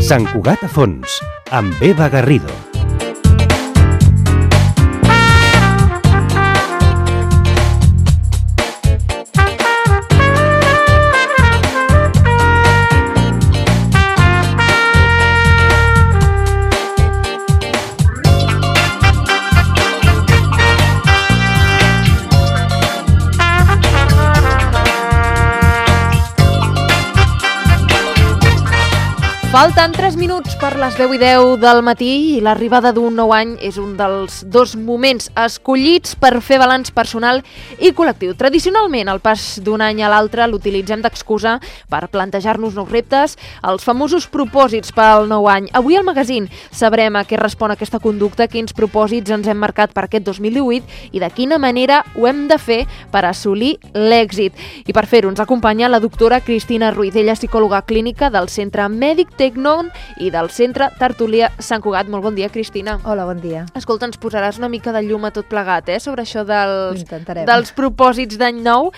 Sant Cugat a fons, amb Eva Garrido. Falten 3 minuts per les 10:10 del matí i l'arribada d'un nou any és un dels dos moments escollits per fer balanç personal i col·lectiu. Tradicionalment, el pas d'un any a l'altre l'utilitzem d'excusa per plantejar-nos nous reptes, els famosos propòsits pel nou any. Avui al magazín sabrem a què respon aquesta conducta, quins propòsits ens hem marcat per aquest 2018 i de quina manera ho hem de fer per assolir l'èxit. I per fer-ho ens acompanya la doctora Cristina Ruiz. Ella és psicòloga clínica del Centre Mèdic Tecnon i del Centre Tertulià Sant Cugat. Molt bon dia, Cristina. Hola, bon dia. Escolta, ens posaràs una mica de llum a tot plegat, sobre això dels propòsits d'any nou.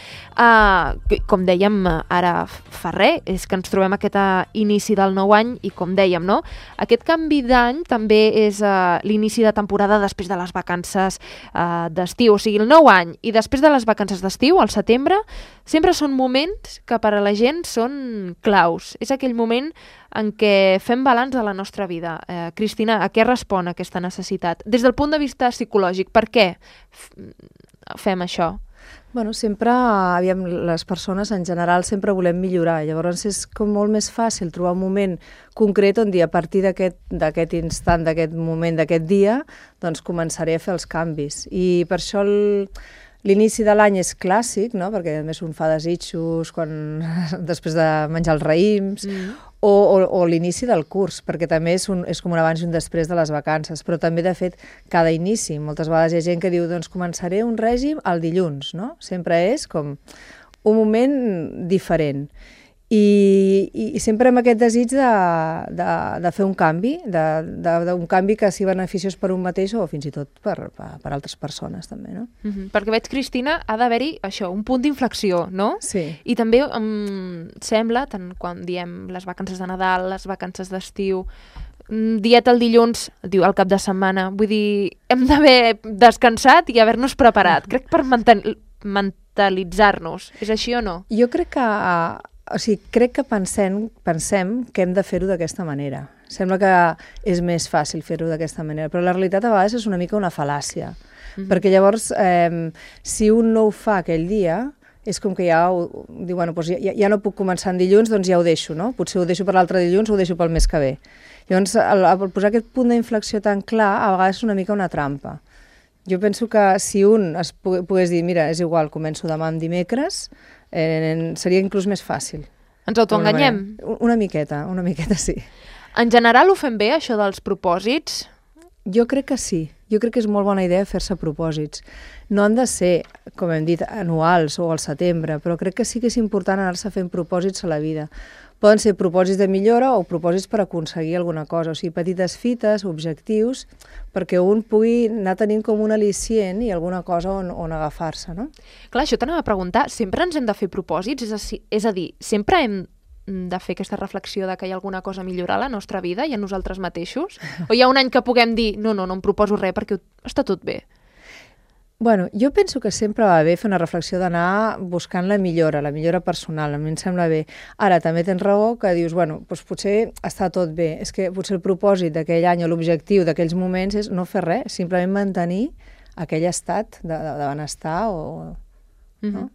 Com dèiem, ara fa res, és que ens trobem aquest inici del nou any i com dèiem, no? Aquest canvi d'any també és l'inici de temporada després de les vacances d'estiu. O sigui, el nou any i després de les vacances d'estiu, al setembre, sempre són moments que per a la gent són claus. És aquell moment en què fem balanç de la nostra vida. Cristina, a què respon aquesta necessitat? Des del punt de vista psicològic, per què fem això? Bueno, sempre, les persones en general sempre volem millorar. Llavors és com molt més fàcil trobar un moment concret on dir a partir d'aquest instant, d'aquest moment, d'aquest dia, doncs començaré a fer els canvis. I per això l'inici de l'any és clàssic, no? Perquè a més un fa desitjos després de menjar els raïms, o l'inici del curs, perquè també és com un abans i un després de les vacances, però també, de fet, cada inici. Moltes vegades hi ha gent que diu, doncs començaré un règim el dilluns, no? Sempre és com un moment diferent. I sempre amb aquest desig de fer un canvi, d'un canvi que sigui beneficiós per un mateix o fins i tot per altres persones també, no? Perquè veig, Cristina, ha d'haver-hi això, un punt d'inflexió, no? Sí. I també em sembla, tant quan diem les vacances de Nadal, les vacances d'estiu, dieta el dilluns, diu el cap de setmana, vull dir, hem d'haver descansat i haver-nos preparat. Crec per mentalitzar-nos. És així o no? Jo crec que pensem que hem de fer-ho d'aquesta manera. Sembla que és més fàcil fer-ho d'aquesta manera, però la realitat a vegades és una mica una fal·làcia. Perquè llavors, si un no ho fa aquell dia, és com que ja diu, bueno, doncs ja no puc començar en dilluns, doncs ja ho deixo, no? Potser ho deixo per l'altre dilluns o ho deixo pel mes que ve. Llavors, al posar aquest punt d'inflexió tan clar, a vegades és una mica una trampa. Jo penso que si un pogués dir, mira, és igual, començo demà amb dimecres, seria inclús més fàcil. Ens autoenganyem? Una miqueta sí. En general ho fem bé, això dels propòsits? Jo crec que sí. Jo crec que és molt bona idea fer-se propòsits. No han de ser, com hem dit, anuals o al setembre, però crec que sí que és important anar-se fent propòsits a la vida. Poden ser propòsits de millora o propòsits per aconseguir alguna cosa, o sigui, petites fites, objectius, perquè un pugui anar tenint com un al·licient i alguna cosa on agafar-se, no? Clar, això t'anava a preguntar, sempre ens hem de fer propòsits? És a dir, sempre hem de fer aquesta reflexió de que hi ha alguna cosa a millorar a la nostra vida i a nosaltres mateixos? O hi ha un any que puguem dir, no em proposo res perquè està tot bé? Bueno, jo penso que sempre va bé fer una reflexió d'anar buscant la millora personal, a mi em sembla bé. Ara, també tens raó que dius, bueno, doncs potser està tot bé. És que potser el propòsit d'aquell any o l'objectiu d'aquells moments és no fer res, simplement mantenir aquell estat de benestar o... no?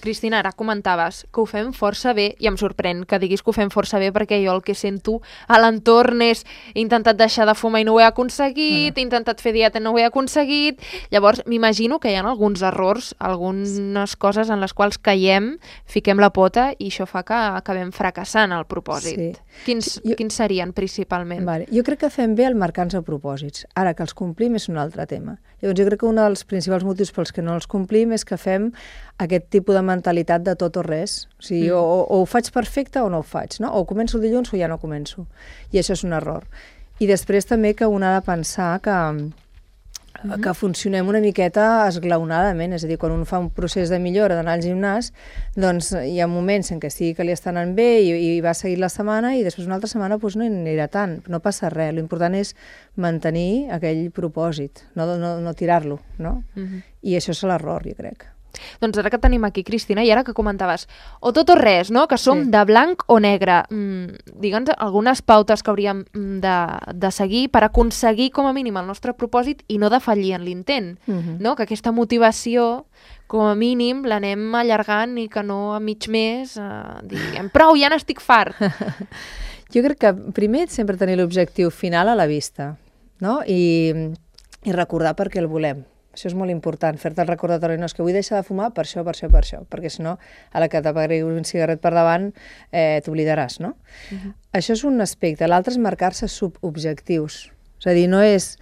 Cristina, ara comentaves que ho fem força bé i em sorprèn que diguis que ho fem força bé perquè jo el que sento a l'entorn és he intentat deixar de fumar i no ho he aconseguit, he intentat fer dieta i no ho he aconseguit. Llavors m'imagino que hi ha alguns errors, algunes coses en les quals caiem, fiquem la pota i això fa que acabem fracassant el propòsit. Sí. Quins serien principalment? Vale. Jo crec que fem bé el marcar-nos propòsits. Ara, que els complim és un altre tema. Llavors jo crec que un dels principals motius pels que no els complim és que fem aquest tipus de mentalitat de tot o res. O sigui, o ho faig perfecte o no ho faig, no? O començo el dilluns o ja no començo. I això és un error. I després també que un ha de pensar que que funcionem una miqueta esglaonadament, és a dir, quan un fa un procés de millora d'anar al gimnàs, doncs hi ha moments en què sí que li està anant bé i va seguir la setmana i després una altra setmana doncs, no hi anirà tant, no passa res. L'important és mantenir aquell propòsit, no tirar-lo, no? I això és l'error, jo crec. Doncs ara que tenim aquí, Cristina, i ara que comentaves, o tot o res, no? Que som de blanc o negre. Digue'ns algunes pautes que hauríem de seguir per aconseguir com a mínim el nostre propòsit i no defallir en l'intent, no? Que aquesta motivació, com a mínim, l'anem allargant i que no a mig mes diguem, prou, ja n'estic fart. Jo crec que primer sempre tenir l'objectiu final a la vista, no? I recordar per què el volem. Això és molt important, fer-te el recordatori, no, és que vull deixar de fumar per això, perquè si no, a la que t'apagui un cigarret per davant, t'oblidaràs, no? Això és un aspecte. L'altre és marcar-se subobjectius. És a dir, no és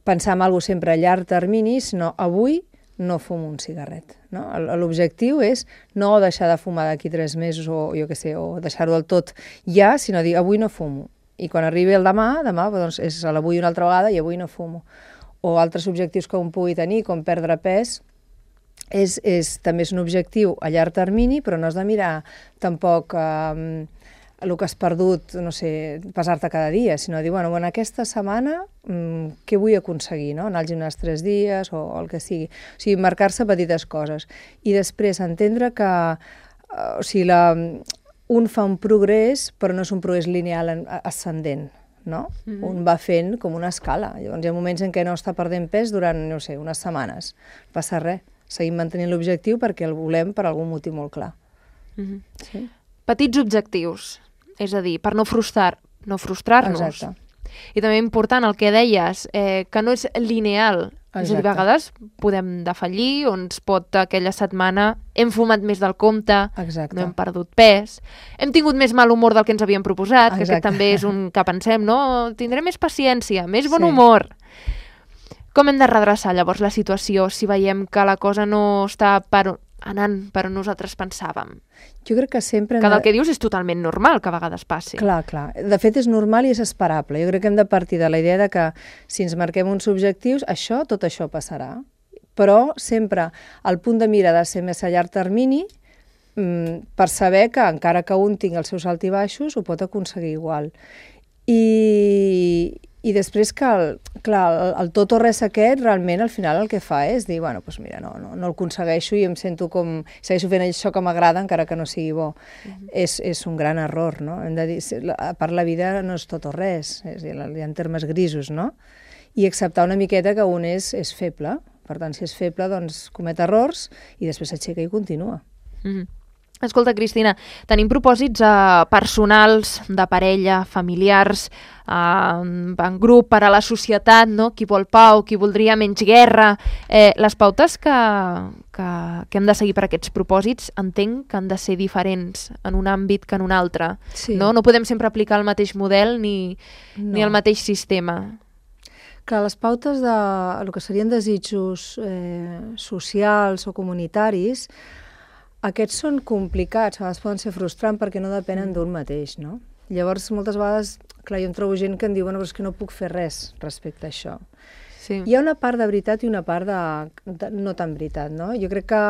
pensar en alguna cosa sempre a llarg termini, sinó avui no fumo un cigarret. No? L'objectiu és no deixar de fumar d'aquí 3 mesos o jo què sé, o deixar-ho del tot ja, sinó dir avui no fumo. I quan arribi el demà doncs és a l'avui una altra vegada i avui no fumo. O altres objectius que un pugui tenir, com perdre pes, també és un objectiu a llarg termini, però no has de mirar tampoc el que has perdut, no sé, pesar-te cada dia, sinó dir, bueno, en aquesta setmana què vull aconseguir, no? Anar al gimnàs 3 dies o el que sigui. O sigui, marcar-se petites coses. I després entendre que un fa un progrés, però no és un progrés lineal ascendent, no? Un va fent com una escala. Llavors hi ha moments en què no està perdent pes durant, no sé, unes setmanes. No passa res. Seguim mantenint l'objectiu perquè el volem per algun motiu molt clar. Sí? Petits objectius, és a dir, per no frustrar-nos. Exacte. I també important el que deies, que no és lineal. És a dir, a vegades podem defallir, o ens pot aquella setmana hem fumat més del compte, no hem perdut pes, hem tingut més mal humor del que ens havíem proposat, que aquest també és un que pensem, no? Tindrem més paciència, més bon humor. Com hem de redreçar llavors la situació si veiem que la cosa no està anant per on nosaltres pensàvem? Jo crec que sempre... Que del que dius és totalment normal que a vegades passi. Clar. De fet, és normal i és esperable. Jo crec que hem de partir de la idea de que si ens marquem uns objectius, tot això passarà. Però sempre el punt de mira ha de ser més a llarg termini per saber que encara que un tingui els seus altibaixos, ho pot aconseguir igual. I després que, el tot o res aquest, realment, al final el que fa és dir, bueno, doncs mira, no el aconsegueixo i em sento com... Segueixo fent això que m'agrada encara que no sigui bo. És un gran error, no? Hem de dir, a part, la vida no és tot o res, és a dir, hi ha termes grisos, no? I acceptar una miqueta que un és feble. Per tant, si és feble, doncs comet errors i després s'aixeca i continua. Escolta, Cristina, tenim propòsits personals, de parella, familiars, en grup, per a la societat, no? Qui vol pau, qui voldria menys guerra. Les pautes que hem de seguir per aquests propòsits entenc que han de ser diferents en un àmbit que en un altre. Sí. No podem sempre aplicar el mateix model ni el mateix sistema. Clar, les pautes el que serien desitjos socials o comunitaris, aquests són complicats, a vegades poden ser frustrants perquè no depenen d'un mateix, no? Llavors, moltes vegades, clar, jo em trobo gent que em diu, bueno, però és que no puc fer res respecte a això. Sí. Hi ha una part de veritat i una part de no tan veritat, no? Jo crec que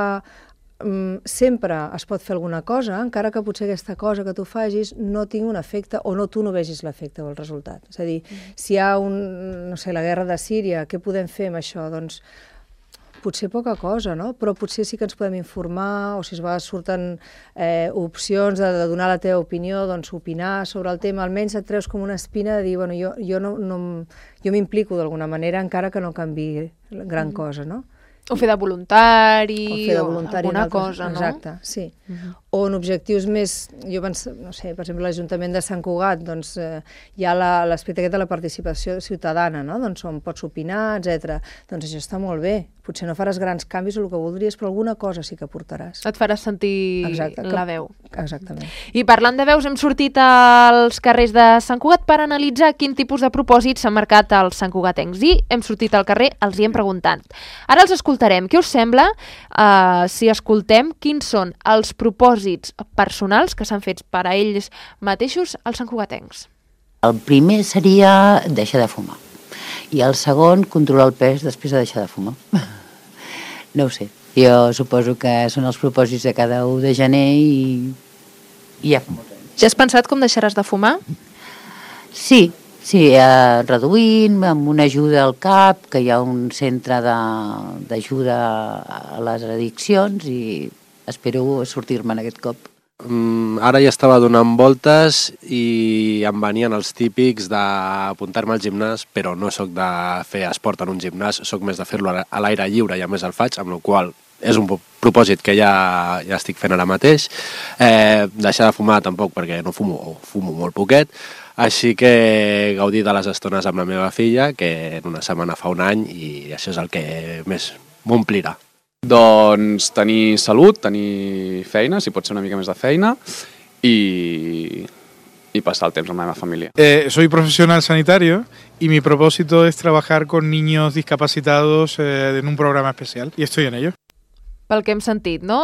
sempre es pot fer alguna cosa, encara que potser aquesta cosa que tu facis no tingui un efecte o tu no vegis l'efecte o el resultat. És a dir, si hi ha la guerra de Síria, què podem fer amb això? Doncs potser poca cosa, no? Però potser sí que ens podem informar, o si a vegades surten opcions de donar la teva opinió, doncs opinar sobre el tema, almenys et treus com una espina de dir, bueno, jo m'implico d'alguna manera, encara que no canviï gran cosa, no? O fer de voluntari, o alguna cosa, no? Exacte, sí. O en objectius més, jo penso, no sé, per exemple, l'Ajuntament de Sant Cugat, doncs hi ha l'aspecte aquest de la participació ciutadana, no? Doncs on pots opinar, etc. Doncs això està molt bé. Potser no faràs grans canvis o el que voldries, però alguna cosa sí que portaràs. Et faràs sentir la veu. Exactament. I parlant de veus, hem sortit als carrers de Sant Cugat per analitzar quin tipus de propòsits s'han marcat els santcugatencs. I hem sortit al carrer, els hi hem preguntat. Ara els escoltarem. Què us sembla si escoltem quins són els propòsits personals que s'han fet per a ells mateixos els santcugatencs? El primer seria deixar de fumar. I el segon, controlar el pes després de deixar de fumar. No ho sé. Jo suposo que són els propòsits de cada 1 de gener i ja fa molts anys. Ja has pensat com deixaràs de fumar? Sí, reduint, amb una ajuda al CAP, que hi ha un centre d'ajuda a les addiccions i espero sortir-me'n aquest cop. Ara ja estava donant voltes i em venien els típics d'apuntar-me al gimnàs, però no sóc de fer esport en un gimnàs, sóc més de fer-lo a l'aire lliure i a més el faig, amb la qual és un propòsit que ja estic fent ara mateix. Deixar de fumar tampoc perquè no fumo, o fumo molt poquet, així que gaudir de les estones amb la meva filla, que en una setmana fa 1 any, i això és el que més m'omplirà. Doncs tenir salut, tenir feina, si pot ser una mica més de feina, y pasar el temps amb la meva família. Soy profesional sanitario y mi propósito es trabajar con niños discapacitados en un programa especial y estoy en ello. Pel que hem sentit, no?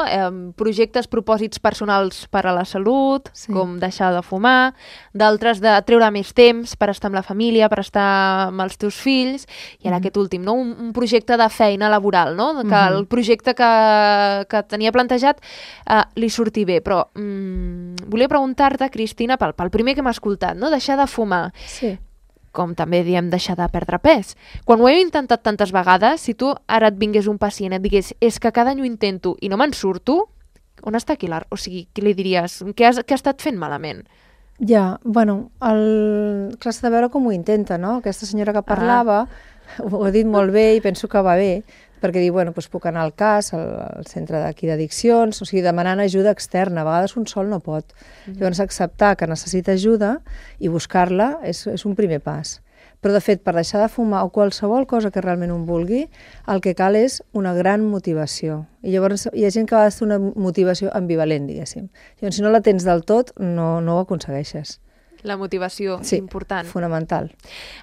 Projectes, propòsits personals per a la salut, Sí. com deixar de fumar, d'altres de treure més temps per estar amb la família, per estar amb els teus fills, i ara aquest últim, no? Un projecte de feina laboral, no? Que el projecte que tenia plantejat li surti bé, però volia preguntar-te, Cristina, pel primer que hem escoltat, no? Deixar de fumar. Sí. Com també diem deixar de perdre pes. Quan ho he intentat tantes vegades, si tu ara et vingués un pacient i et digués és que cada any ho intento i no me'n surto, on està aquí o sigui, què li diries? Què ha estat fent malament? Ja, bueno, clar, s'ha de veure com ho intenta, no? Aquesta senyora que parlava ho ha dit molt bé i penso que va bé, perquè diu, bueno, doncs puc anar al CAS, al centre d'aquí d'addiccions, o sigui, demanant ajuda externa. A vegades un sol no pot. Llavors, acceptar que necessita ajuda i buscar-la és un primer pas. Però, de fet, per deixar de fumar o qualsevol cosa que realment un vulgui, el que cal és una gran motivació. I llavors hi ha gent que a vegades té una motivació ambivalent, diguéssim. Llavors, si no la tens del tot, no ho aconsegueixes. La motivació, Sí, important. fonamental.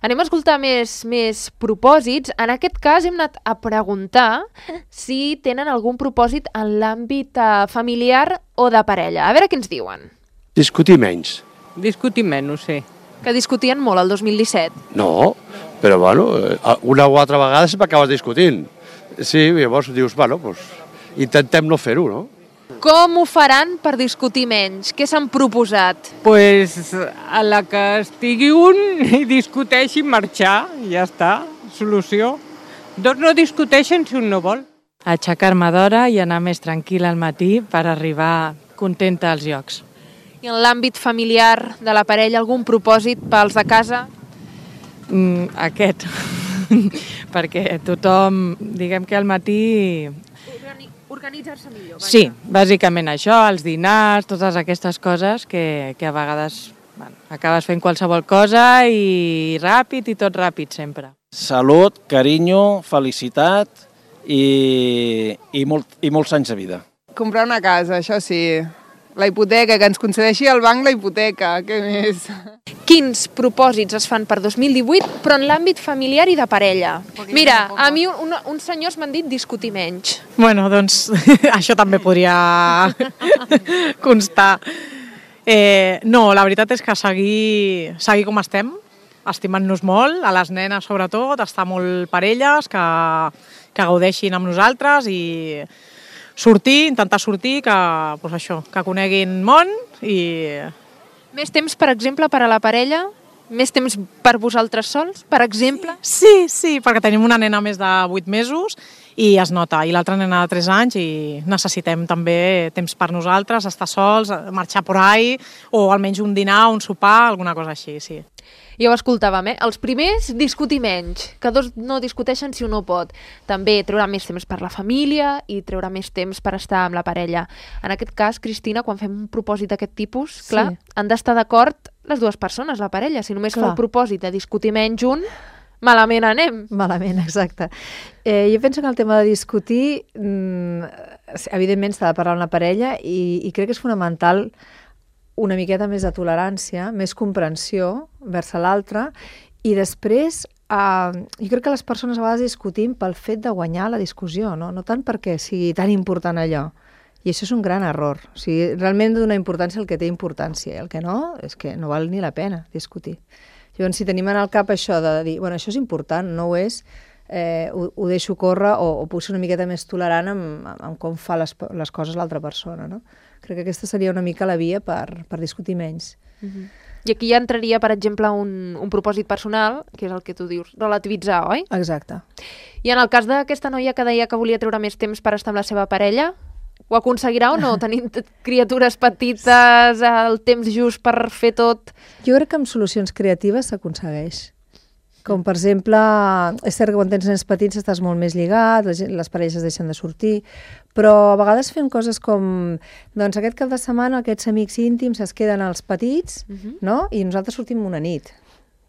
Anem a escoltar més propòsits. En aquest cas hem anat a preguntar si tenen algun propòsit en l'àmbit familiar o de parella. A veure què ens diuen. Discutir menys. Discutir menys, sí. Que discutien molt el 2017. No, però bueno, una o altra vegada sempre acabes discutint. Sí, llavors dius, bueno, doncs intentem no fer-ho, no? Com ho faran per discutir menys? Què s'han proposat? Pues a la que estigui un i discuteixi marxar, ja està, solució. Dos no discuteixen si un no vol. Aixecar-me d'hora i anar més tranquil·la al matí per arribar contenta als llocs. I en l'àmbit familiar de la parella, algun propòsit pels de casa? Aquest, perquè tothom, diguem que al matí... Organitzar-se millor. Sí, bàsicament això, els dinars, totes aquestes coses que a vegades acabes fent qualsevol cosa i ràpid i tot ràpid sempre. Salut, carinyo, felicitat i molts anys de vida. Comprar una casa, això sí. La hipoteca, que ens concedeixi el banc la hipoteca, què més? Quins propòsits es fan per 2018, però en l'àmbit familiar i de parella? Mira, a mi uns senyors m'han dit discutir menys. Bueno, doncs això també podria constar. No, la veritat és que seguir com estem, estimant-nos molt, a les nenes sobretot, estar molt parelles, que gaudeixin amb nosaltres i intentar sortir, que coneguin món i... Més temps, per exemple, per a la parella? Més temps per vosaltres sols, per exemple? Sí, perquè tenim una nena més de 8 mesos i es nota, i l'altra nena de 3 anys i necessitem també temps per nosaltres, estar sols, marxar por ahí, o almenys un dinar, un sopar, alguna cosa així, sí. Ja ho escoltàvem, Els primers, discutir menys, que dos no discuteixen si un no pot. També treure més temps per la família i treure més temps per estar amb la parella. En aquest cas, Cristina, quan fem un propòsit d'aquest tipus, clar, han d'estar d'acord les dues persones, la parella. Si només fa el propòsit de discutir menys un, malament anem. Malament, exacte. Jo penso que el tema de discutir, evidentment s'ha de parlar amb la parella i crec que és fonamental una miqueta més de tolerància, més comprensió vers l'altre i després jo crec que les persones a vegades discutim pel fet de guanyar la discussió, no tant perquè sigui tan important allò. I això és un gran error. O sigui, realment donar importància al que té importància i el que no, és que no val ni la pena discutir. Llavors, si tenim en el cap això de dir, bueno, això és important, no ho és, ho deixo córrer o puc ser una miqueta més tolerant amb com fa les coses l'altra persona, no? Crec que aquesta seria una mica la via per discutir menys. I aquí ja entraria, per exemple, un propòsit personal, que és el que tu dius, relativitzar, oi? Exacte. I en el cas d'aquesta noia que deia que volia treure més temps per estar amb la seva parella, ho aconseguirà o no? Tenint criatures petites, el temps just per fer tot... Jo crec que amb solucions creatives s'aconsegueix. Com, per exemple, és cert que quan tens nens petits estàs molt més lligat, les parelles es deixen de sortir, però a vegades fem coses com, doncs aquest cap de setmana aquests amics íntims es queden als petits, no? I nosaltres sortim una nit.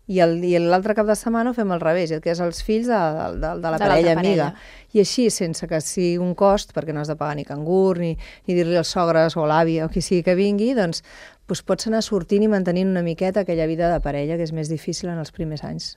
I l'altre cap de setmana ho fem al revés, que és els fills de la parella amiga. I així, sense que sigui un cost, perquè no has de pagar ni cangur, ni dir-li als sogres o l'avi o qui sigui que vingui, doncs pots anar sortint i mantenint una miqueta aquella vida de parella, que és més difícil en els primers anys.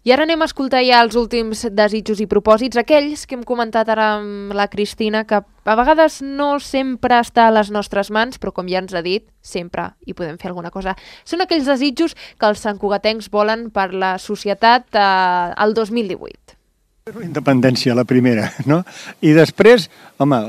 I ara anem a escoltar ja els últims desitjos i propòsits, aquells que hem comentat ara amb la Cristina, que a vegades no sempre està a les nostres mans, però com ja ens ha dit, sempre hi podem fer alguna cosa. Són aquells desitjos que els santcugatencs volen per la societat al 2018. La independència, la primera, no? I després, home,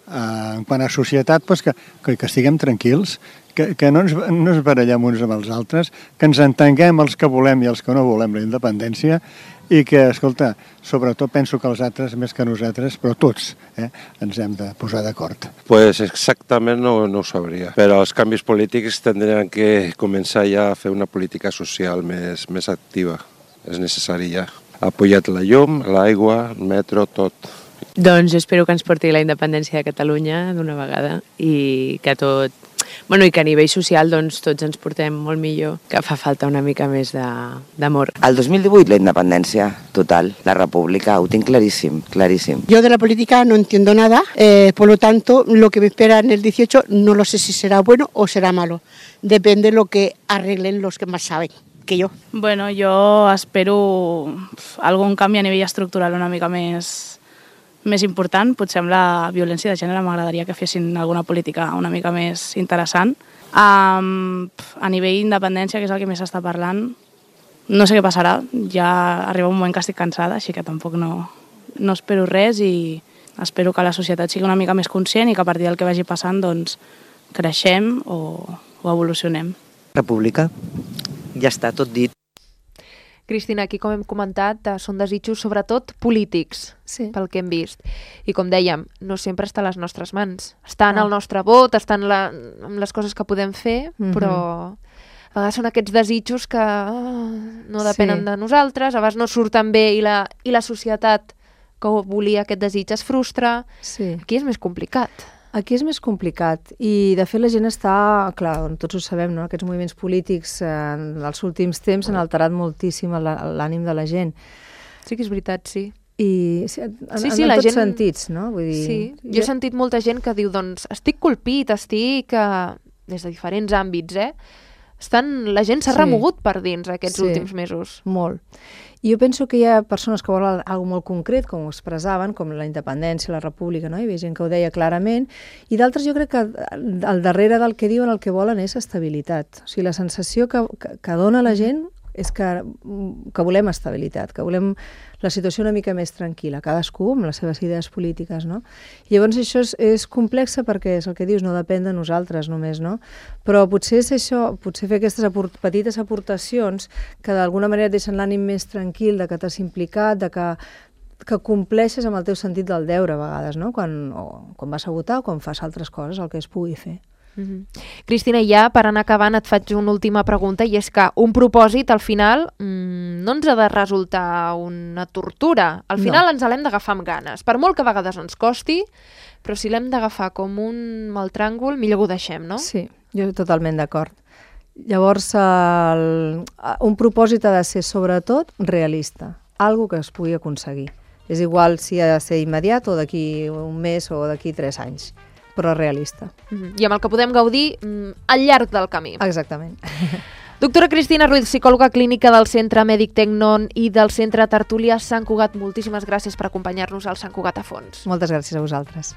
quant a societat, que estiguem tranquils, que no ens barallem uns amb els altres, que ens entenguem els que volem i els que no volem la independència i que, escolta, sobretot penso que els altres, més que nosaltres, però tots, ens hem de posar d'acord. Pues exactament no ho sabria, però els canvis polítics tindrien que començar ja a fer una política social més activa. És necessari ja. Ha pujat la llum, l'aigua, el metro, tot. Doncs espero que ens porti la independència de Catalunya d'una vegada i que tot... Bueno, i que a nivell social doncs, tots ens portem molt millor, que fa falta una mica més d'amor. Al 2018 la independència total, la república, ho tinc claríssim, claríssim. Yo de la política no entiendo nada, por lo tanto lo que me espera en el 18 no lo sé si será bueno o será malo. Depende de lo que arreglen los que más saben que yo. Bueno, jo espero algun canvi a nivell estructural una mica més important. Potser amb la violència de gènere m'agradaria que fessin alguna política una mica més interessant. A nivell d'independència, que és el que més s'està parlant, no sé què passarà. Ja arriba un moment que estic cansada, així que tampoc no espero res i espero que la societat sigui una mica més conscient i que a partir del que vagi passant doncs, creixem o evolucionem. República, ja està tot dit. Cristina, aquí com hem comentat són desitjos sobretot polítics, pel que hem vist. I com dèiem, no sempre està a les nostres mans. Està en el nostre vot, està en les coses que podem fer, però a vegades són aquests desitjos que no depenen de nosaltres, a vegades no surten bé i la societat que volia aquest desig es frustra. Aquí és més complicat. Aquí és més complicat i, de fet, la gent està, clar, tots ho sabem, no? Aquests moviments polítics dels últims temps han alterat moltíssim l'ànim de la gent. Sí que és veritat, sí. I en tots sentits, no? Vull dir... Sí, jo he sentit molta gent que diu, doncs, estic colpit, estic des de diferents àmbits, la gent s'ha remogut per dins aquests últims mesos. Molt. I jo penso que hi ha persones que volen alguna cosa molt concret, com ho expressaven, com la independència, la república, no? Hi havia gent que ho deia clarament, i d'altres jo crec que al darrere del que diuen el que volen és estabilitat. O sigui, la sensació que dona la gent és que volem estabilitat, que volem la situació una mica més tranquil·la, cadascú amb les seves idees polítiques, no? I llavors això és complex perquè és el que dius, no depèn de nosaltres només, no? Però potser és això, potser fer aquestes petites aportacions que d'alguna manera et deixen l'ànim més tranquil, de que t'has implicat, de que compleixes amb el teu sentit del deure a vegades, no? Quan vas a votar o quan fas altres coses, el que es pugui fer. Cristina, ja per anar acabant et faig una última pregunta i és que un propòsit al final no ens ha de resultar una tortura. Al final ens l'hem d'agafar amb ganes, per molt que a vegades ens costi, però si l'hem d'agafar com un mal tràngol, millor ho deixem, no? Sí, jo totalment d'acord. Llavors, un propòsit ha de ser sobretot realista, algo que es pugui aconseguir. És igual si ha de ser immediat o d'aquí un mes o d'aquí 3 anys. Però realista. I amb el que podem gaudir al llarg del camí. Exactament. Doctora Cristina Ruiz, psicòloga clínica del Centre Mèdic Tecnon i del Centre Tertúlia Sant Cugat, moltíssimes gràcies per acompanyar-nos al Sant Cugat a fons. Moltes gràcies a vosaltres.